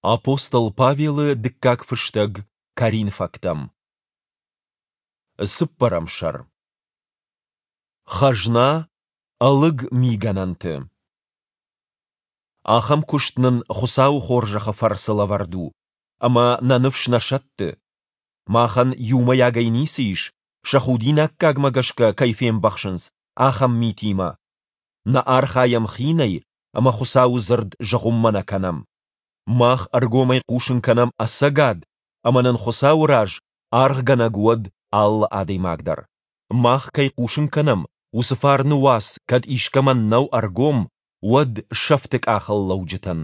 Апостол Павелы дыккаг фыстӕг Коринфӕгтӕм. Цыппӕрӕм сӕр. Хӕзна ӕлыг мигӕнӕнты. Ахӕм куыст нын Хуыцауы хорзӕхы фӕрцы лӕвӕрд у, ӕмӕ нӕ ныфс нӕ сӕтты. Махӕн иумӕйагӕй ницы ис, сӕ худинаггагмӕ гӕсгӕ кӕй фембӕхсынц, ахӕм митимӕ. Нӕ архайӕм хинӕй ӕмӕ Хуыцауы дзырд зыгъуыммӕ нӕ кӕнӕм. Мах ӕргомӕй хъусын кӕнӕм ӕцӕгад, ӕмӕ нын Хуыцауы раз аргъгӕнӕг уӕд алы адӕймаг дӕр. Мах кӕй хъусын кӕнӕм, уыцы фарны уац кӕд искӕмӕн нӕу ӕргом, уӕд сӕфты къахыл лӕуджытӕн.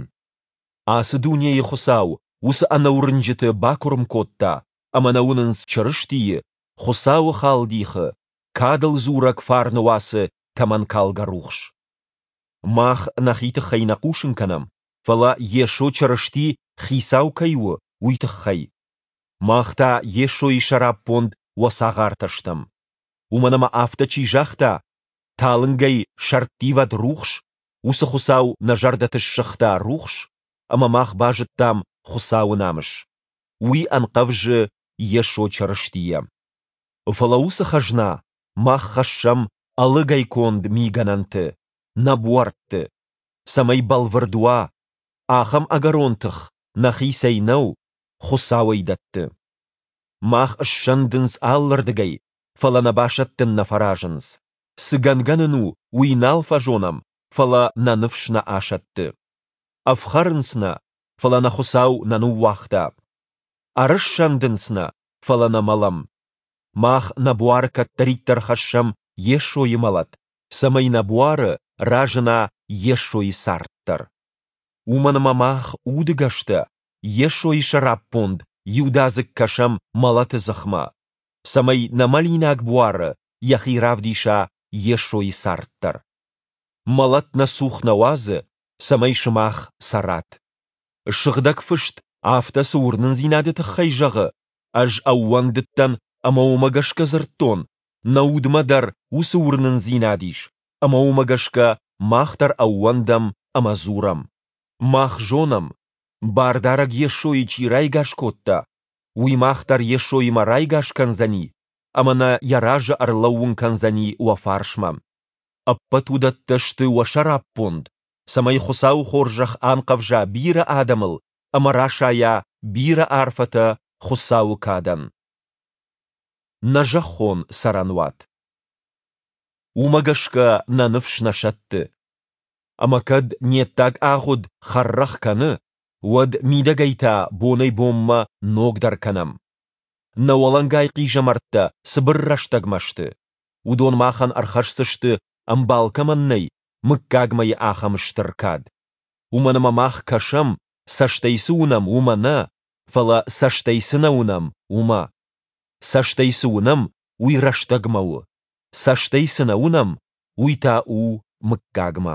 Ацы дунейы хуыцау уыцы ӕнӕуырнджыты бакуырм кодта, ӕмӕ нӕ уынынц Чырыстийы, Хуыцауы халдихы, кадыл дзурӕг фарны уацы тӕмӕнкалгӕ рухс. Мах нӕхи тыххӕй нӕ хъусын кӕнӕм, фӕлӕ Йесо Чырысти Хицау кӕй у, уый тыххӕй. Мах та Йесойы сӕраппонд уӕ цагъартӕ стӕм. Уымӕн ӕмӕ афтӕ чи загъта, талынгӕй сӕрттивӕд рухс, уыцы Хуыцау нӕ зӕрдӕты ссыгъта рухс, ӕмӕ мах базыдтам Хуыцауы намыс. Уый ӕнхъӕвзы Йесо Чырыстийӕ. Фӕлӕ уыцы хӕзна мах хӕссӕм ӕлыгӕй конд мигӕнӕнты, нӕ буӕртты, цӕмӕй бӕлвырд уа, ахӕм ӕгӕрон тых нӕхицӕй нӕу, Хуыцау ӕй дӕтты. Мах ссӕндынц алырдыгӕй, фӕлӕ нӕ басӕттын нӕ фӕразынц. Цы гӕнгӕ нын у, уый нал фӕзонӕм, фӕлӕ нӕ ныфс нӕ асӕтты. Ӕфхӕрынц нӕ, фӕлӕ нӕ Хуыцау нӕ ныууагъта. Ӕрыссӕндынц нӕ, фӕлӕ нӕ мӕлӕм. Мах нӕ буары кӕддӕриддӕр хӕссӕм Йесойы мӕлӕт, цӕмӕй нӕ буары разына Йесойы цард дӕр. Уымӕн ӕмӕ мах, удыгӕстӕ, Йесойы сӕраппонд иудадзыг кӕсӕм мӕлӕты дзыхмӕ, цӕмӕй нӕ мӕлинаг буары йӕхи равдиса Йесойы цард дӕр. Мӕлӕт нӕ цух нӕ уадзы, цӕмӕй сымах цӕрат. Сыгъдӕг Фыст афтӕ цы уырнындзинады тыххӕй зӕгъы, ӕз ӕууӕндыдтӕн ӕмӕ уымӕ гӕсгӕ дзырдтон, нӕ удмӕ дӕр уыцы уырнындзинад ис, ӕмӕ уымӕ гӕсгӕ мах дӕр ӕууӕндӕм ӕмӕ дзурӕм. Мах зонӕм, Бардарӕг Йесойы чи райгас кодта, уый мах дӕр Йесоимӕ райгас кӕндзӕни ӕмӕ нӕ йӕ разы ӕрлӕууын кӕндзӕни уӕ фарсмӕ. Ӕппӕт уыдӕттӕ сты уӕ сӕраппонд, цӕмӕй Хуыцауы хорзӕх анхъӕвза бирӕ адӕмыл ӕмӕ расайа бирӕ арфӕтӕ Хуыцауы кадӕн. Нӕ зӕххон цӕрӕнуат. Уымӕ гӕсгӕ нӕ ныфс нӕ сӕтты. Ӕмӕ кӕд не ддаг агъуд хӕррӕгъ кӕны, уӕд мидӕгӕй та бонӕй-бонмӕ ногдӕр кӕнӕм. Нӕ уӕлӕнгай хъизӕмӕрттӕ цыбыр рӕстӕгмӕ сты. Уыдон махӕн ӕрхӕсдзысты, ӕмбал кӕмӕн нӕй, мыггагмӕйы ахӕм стыр кад. Уымӕн ӕмӕ мах кӕсӕм, цӕстӕй цы уынӕм, уымӕ нӕ, фӕлӕ цӕстӕй цы нӕ уынӕм, уымӕ. Цӕстӕй цы уынӕм, уый рӕстӕгмӕ у, цӕстӕй цы нӕ уынӕм, уый та у мыггагмӕ.